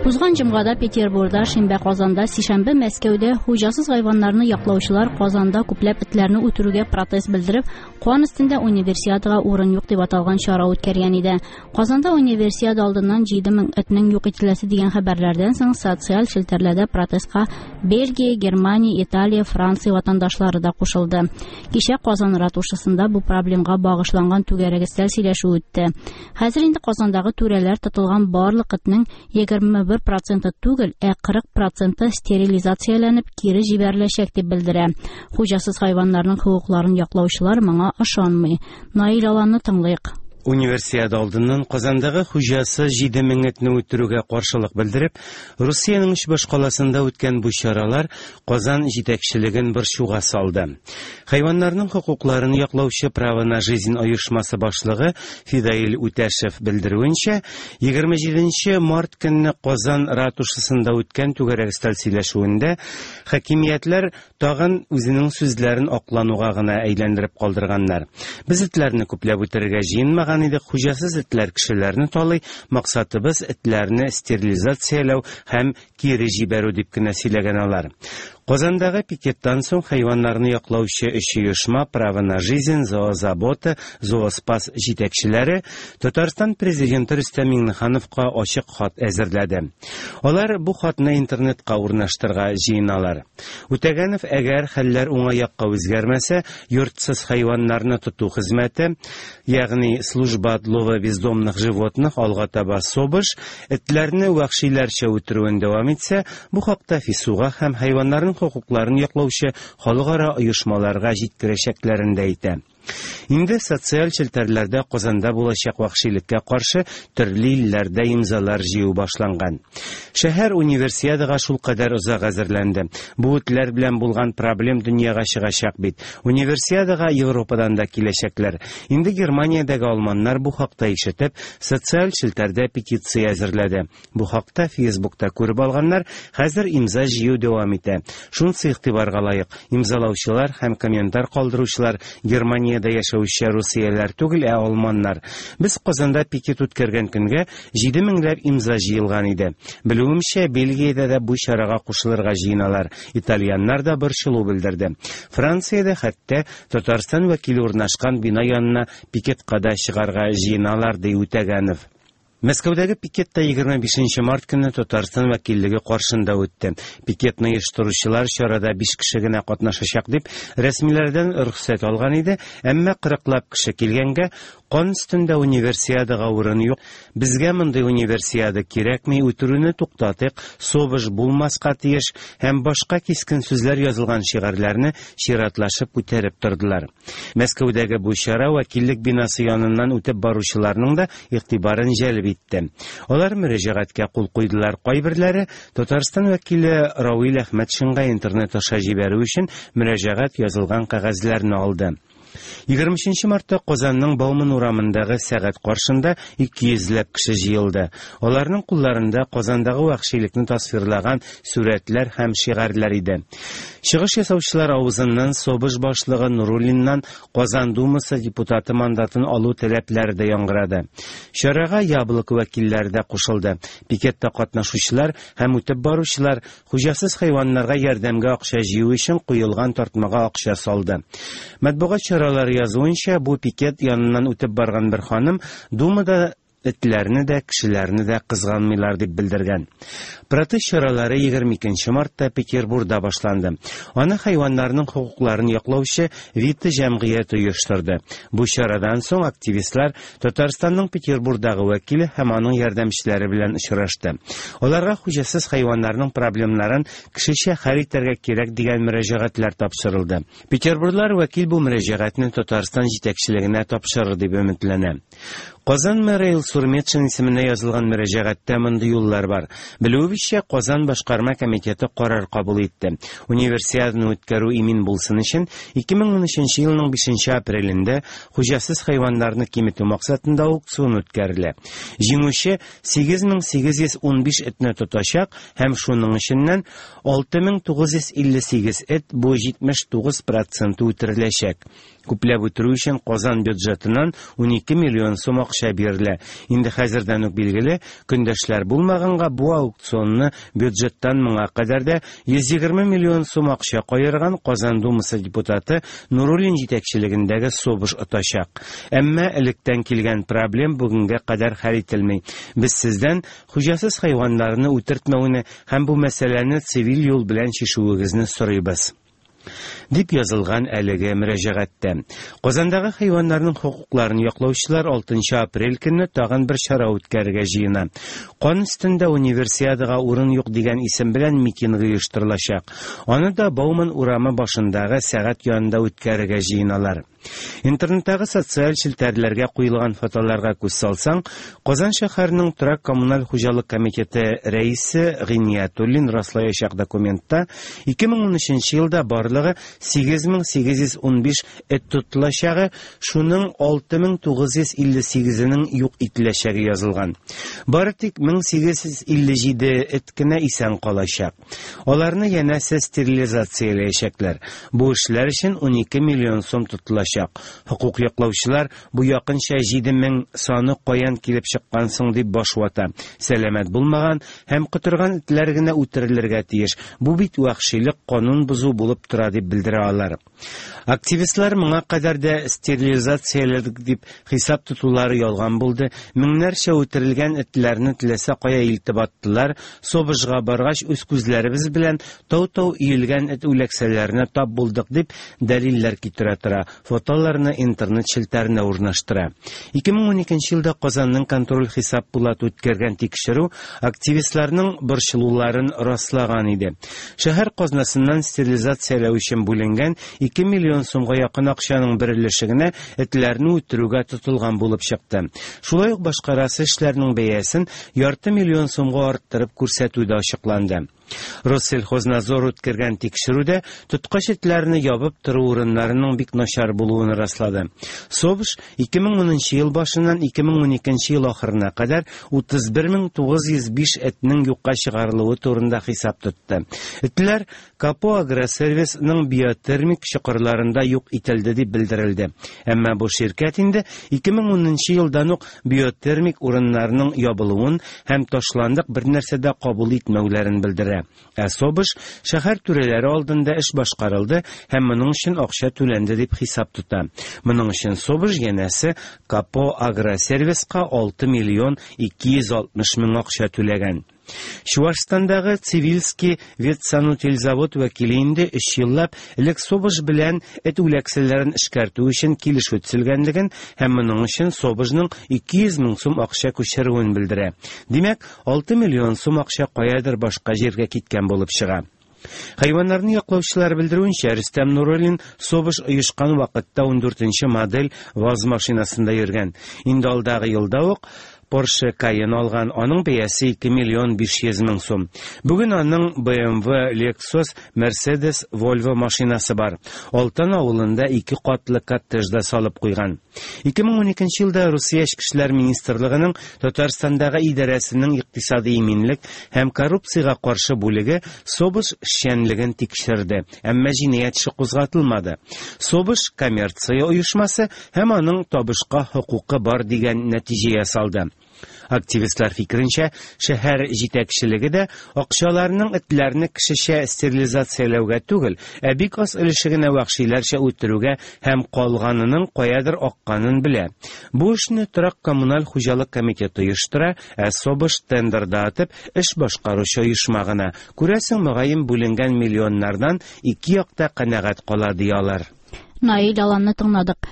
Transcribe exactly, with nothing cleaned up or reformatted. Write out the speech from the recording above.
Узган җомгада Петербурда, шимбә Казанда, сишәмбе Мәскәүдә хуҗасыз хайваннарны яклаучылар Казанда күпләп этләрне үтерүгә протест белдереп, кан өстендә универсиадага урын юк дип аталган чара үткәргән иде. Казанда универсиада алдыннан җиде мең этнең юк ителәсе дигән хәбәрләрдән соң социаль челтәрләрдә протестка Бельгия, Германия, Италия, Франция ватандашлары да кушылды. Кичә Казан ратушасында бу проблемга багышланган түгәрәк өстәл сөйләшү үтте. Хәзер инде Казандагы түрәләр тотылган барлык этнең егерме бер проценты түгел, ә кырык проценты стерилизацияләнеп кире җибәреләчәк дип белдерә. Хуҗасыз хайваннарның хокукларын яклаучылар моңа ышанмый. Наил Аланны тыңлыйк. Универсиада алдыннан Казандагы хуҗасы җиде мең этне үтерүгә каршылык белдереп, Русиянең өч башкаласында үткән бу чаралар Казан җитәкчелеген борчуга салды. Хайваннарның хокукларын яклаучы Право на жизнь оешмасы башлыгы Фидаил Үтәшев белдерүенчә, егерме җиденче март көнне Казан ратушасында үткән түгәрәк өстәл сөйләшүендә хакимиятләр тагын үзенең сүзләрен аклануга гына әйләндереп калдырганнар. Без этләрне күпләп үтерергә җыенмаган идек, хуҗасыз этләр кешеләрне талый, максатыбыз этләрне стерилизацияләү һәм кире җибәрү дип кенә сөйләгән алар. Казандагы пикеттан соң хайваннарны яклаучы өч оешма Право на жизнь, Зоозабота, Зооспас җитәкчеләре Татарстан президенты Рөстәм Миңнехановка ачык хат әзерләде. Алар бу хатны интернетка урнаштырырга җыеналар. Үтәгәнов, әгәр хәлләр уңай якка үзгәрмәсә, йортсыз хайваннарны тоту хезмәте, ягъни служба отлова бездомных животных, алга таба СОБШ, этләрне вәхшиләрчә үтерүен дәвам итсә, бу хакта ФИСУга һәм хайваннарның хокукларын яклаучы халыкара оешмаларга җиткерәчәкләрен дә әйтә. Инде социаль челтәрләрдә Казанда булачак вәхшилеккә каршы төрле илләрдә имзалар җыю башланган. Шәһәр универсиадага шулкадәр озак әзерләнде. Бу этләр белән булган проблем дөньяга чыгачак бит. Универсиадага Европадан да киләчәкләр. Инде Германиядәге алманнар бу хакта ишетеп, социаль челтәрдә петиция әзерләде. Бу хакта Фейсбукта күреп алганнар, хәзер имза җыю дәвам итә. Шунысы игътибарга лаек, имзалаучылар һәм комментар калдыручылар Германиядә яшәүче русияләр түгел, ә алманнар. Без Казанда пикет үткәргән көнгә җиде меңләп имза җыелган иде. Белүемчә, Бельгиядә дә бу чарага кушылырга җыеналар. Итальяннар да борчылу белдерде. Франциядә хәтта Татарстан вәкиле урнашкан бина янына пикетка да чыгарга җыеналар, ди Үтәгәнов. Мәскәүдәге пикетта егерме бишенче март көнне Татарстан вәкиллеге каршында үтте. Пикетны оештыручылар чарада биш кеше генә катнашачак дип рәсмиләрдән рөхсәт алган иде, әмма кырыклап кеше килгәнгә кан өстендә универсиадага урын юк. Безгә мондый универсиада кирәкми, үтерүне туктатыйк, СОБШ булмаска тиеш һәм башка кискен сүзләр язылган шигарьләрне чиратлашып күтәреп тордылар. Мәскәүдәге бу чара вәкиллек бинасы яныннан үтеп баручыларның да игътибарын җәлеп итте. Алар мөрәҗәгатькә кул куйдылар. Кайберләре Татарстан вәкиле Равил Әхмәтшинга интернет аша җибәрү өчен мөрәҗәгать язылган кәгазьләрне алды. Егерме өченче мартта Казанның Бауман урамындагы сәгать каршында ике йөзләп кеше җыелды. Аларның кулларында Казандагы вәхшилекне тасвирлаган сурәтләр һәм шигарьләр иде. Чыгыш ясаучылар авызыннан СОБШ башлыгы Нуруллиннан Казан Думасы депутаты мандатын алу таләпләре дә яңгырады. Чарага Яблоко вәкилләре дә кушылды. Пикетта катнашучылар һәм үтеп баручылар хуҗасыз хайваннарга ярдәмгә акча җыю өчен куелган тартмага акча салды. Матбугат чаралары язуынча, бу пикет яныннан үтеп барган бер ханым Думада этләрне дә, кешеләрне дә кызганмыйлар дип белдергән. Протест чаралары егерме икенче мартта Петербургда башланды. Аны хайваннарның хокукларын яклаучы Вита җәмгыяте оештырды. Бу чарадан соң активистлар Татарстанның Петербургдагы вәкиле һәм аның ярдәмчеләре белән очрашты. Аларга хуҗасыз хайваннарның проблемнарын кешечә хәл итәргә кирәк дигән мөрәҗәгатьләр тапшырылды. Петербурглар вәкил бу мөрәҗәгатьне Татарстан җитәкчелегенә тапшырыр дип өметләнә. Казан мэры Илсур Метшин исеменә язылган мөрәҗәгатьтә мондый юллар бар. Белүебезчә, Казан башкарма комитеты карар кабул итте. Универсиаданы үткәрү имин булсын өчен ике мең унөченче елның бишенче апрелендә хуҗасыз хайваннарны киметү максатында аукцион үткәрелә. Җиңүче сигез мең сигез йөз унбиш этне тотачак һәм шуның эченнән алты мең тугыз йөз илле сигез эт, бу җитмеш тугыз проценты үтереләчәк. Күпләп үтерү өчен Казан бюджетыннан унике миллион сум акча акча бирелә. Инде хәзердән үк билгеле, көндәшләр булмаганга бу аукционны бюджеттан моңа кадәр дә йөз егерме миллион сум акча каерган Казан Думасы депутаты Нуруллин җитәкчелегендәге СОБШ отачак. Әмма электән килгән проблем бүгенгә кадәр хәл ителми. Без сездән хуҗасыз хайваннарны үтертмәүне һәм бу мәсьәләне цивиль юл белән чишүегезне сорыйбыз, дип язылган әлеге мөрәҗәгатьтә. Казандагы хайваннарның хокукларын яклаучылар алтынчы апрель көнне тагын бер чара үткәрергә җыена. Кан өстендә универсиадага урын юк дигән исем белән митинг оештырылачак. Аны да Бауман урамы башындагы сәгать янында үткәрергә җыеналар. Интернеттагы социаль челтәрләргә куелган фотоларга күз салсаң, Казан шәһәренең торак коммуналь хуҗалык комитеты рәисе Гыйниятуллин раслаячак документта ике мең унөченче елда барлыгы сигез мең сигез йөз унбиш эт тотылачагы, шуның алты мең тугыз йөз илле сигезенең юк ителәчәге язылган. Бары тик мең сигез йөз илле җиде эт кенә исән калачак. Аларны янәсе стерилизацияләячәкләр. Бу эшләр өчен унике миллион сум тотылачак. Хукук яклаучылар бу якынча җиде мең саны каян килеп чыккан соң дип баш вата. Сәламәт булмаган һәм котырган этләр генә үтерелергә тиеш. Бу бит вәхшилек, канун бозу булып тора дип белдерә алар. Активистлар моңа кадәр дә стерилизацияләдек дип хисап тотулары ялган булды. Меңнәрчә үтерелгән этләрне теләсә кая илтеп аттылар. СОБШга баргач үз күзләребез белән тау-тау өелгән эт үләксәләренә тап булдык дип дәлилләр китерә тора. Фотоларны интернет челтәренә урнаштыра. Ике мең уникенче елда Казанның контроль хисап пулаты үткәргән тикшерү активистларның борчылуларын раслаган иде. Шәһәр казнасыннан стерилизацияләү өчен бүленгән ике миллион сумга якын акчаның бер өлеше генә этләрне үтерүгә тотылган булып чыкты. Шулай ук башкарасы эшләрнең бәясен ярты миллион сумга арттырып күрсәтү дә ачыкланды. Россельхознадзор үткәргән тикшерүдә тоткач этләрне ябып тору урыннарының бик начар булуын раслады. СОБШ ике мең унынчы ел башыннан ике мең уникенче ел ахырына кадәр утыз бер мең тугыз йөз биш этнең юкка чыгарылуы турында хисап тотты. Этләр Капо Агросервисның биотермик чокырларында юк ителде дип белдерелде. Әмма бу ширкәт инде ике мең унынчы елдан ук биотермик урыннарының ябылуын һәм ташландык бер нәрсә дә кабул итмәүләрен белдерә. Ә СОБШ шәһәр түрәләре алдында эш башкарылды һәм моның өчен акча түләнде дип хисап тота. Моның өчен СОБШ янәсе Капо Агросервиска алты миллион ике йөз алтмыш мең акча түләгән. Чувашстандагы Цивильский ветсанутильзавод вәкиле инде өч еллап элек СОБШ белән эт үләксәләрен эшкәртү өчен килешү төзелгәнлеген һәм моның өчен СОБШның ике йөз мең сум акча күчерүен белдерә. Димәк, алты миллион сум акча каядыр башка җиргә киткән булып чыга. Хайваннарны яклаучылар белдерүенчә, Рөстәм Нуруллин СОБШ оешкан вакытта ундүртенче модель ВАЗ машинасында йөргән. Инде алдагы елда ук Porsche Cayenne алган, аның бәясе ике миллион биш йөз мең сум. Бүген аның Б М В, Lexus, Mercedes, Volvo машинасы бар. Алтын авылында ике катлы коттедж да салып куйган. Ике мең уникенче елда Русия Эчке эшләр министрлыгының Татарстандагы идарәсенең икътисади иминлек һәм коррупциягә каршы бүлеге СОБШ эшчәнлеген тикшерде, әмма җинаять эше кузгатылмады. СОБШ коммерция оешмасы һәм аның табышка хокукы бар дигән нәтиҗә ясалды. Активистлар фикеренчә, шәһәр җитәкчелеге дә акчаларның этләрне кешечә стерилизацияләүгә түгел, ә бик аз өлеше генә вәхшиләрчә үтерүгә һәм калганының каядыр акканын белә. Бу эшне торак коммуналь хуҗалык комитеты оештыра, ә СОБШ тендерда атып эш башкаручы оешма гына. Күрәсең, мөгаен бүленгән миллионнардан ике якта канәгать кала ди алар. Наил Аланны тыңладык.